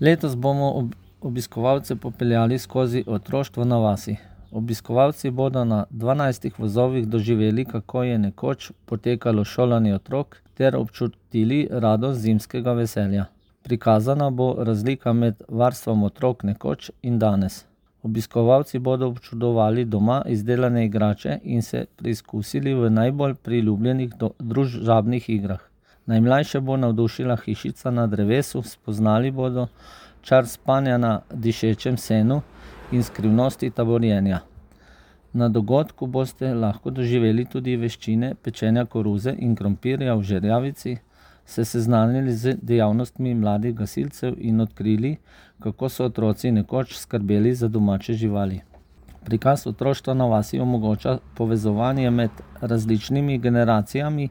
Letos bomo obiskovalce popeljali skozi otroštvo na vasi. Obiskovalci bodo na 12 vozovih doživeli, kako je nekoč potekalo šolanje otrok, ter občutili radost zimskega veselja. Prikazana bo razlika med varstvom otrok nekoč in danes. Obiskovalci bodo občudovali doma izdelane igrače in se preizkusili v najbolj priljubljenih družabnih igrah. Najmlajše bo navdušila hišica na drevesu, spoznali bodo čar spanja na dišečem senu in skrivnosti taborjenja. Na dogodku boste lahko doživeli tudi veščine pečenja koruze in krompirja v žerjavici, se seznanili z dejavnostmi mladih gasilcev in odkrili, kako so otroci nekoč skrbeli za domače živali. Prikaz otroštva na vasi omogoča povezovanje med različnimi generacijami,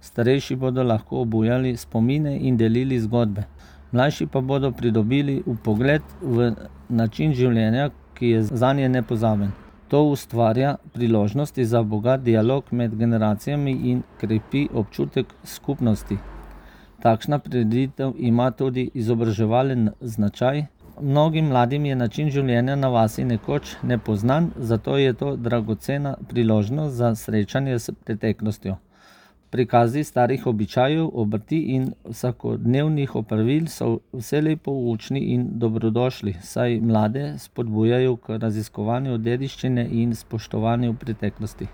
starejši bodo lahko obujali spomine in delili zgodbe. Mlajši pa bodo pridobili vpogled v način življenja, ki je zanje nepozaben. To ustvarja priložnosti za bogat dialog med generacijami in krepi občutek skupnosti. Takšna prireditev ima tudi izobraževalen značaj. Mnogim mladim je način življenja na vasi nekoč nepoznan, zato je to dragocena priložnost za srečanje s preteklostjo. Prikazi starih običajev, obrti in vsakodnevnih opravil so vselej poučni in dobrodošli, saj mlade spodbujajo k raziskovanju dediščine in spoštovanju preteklosti.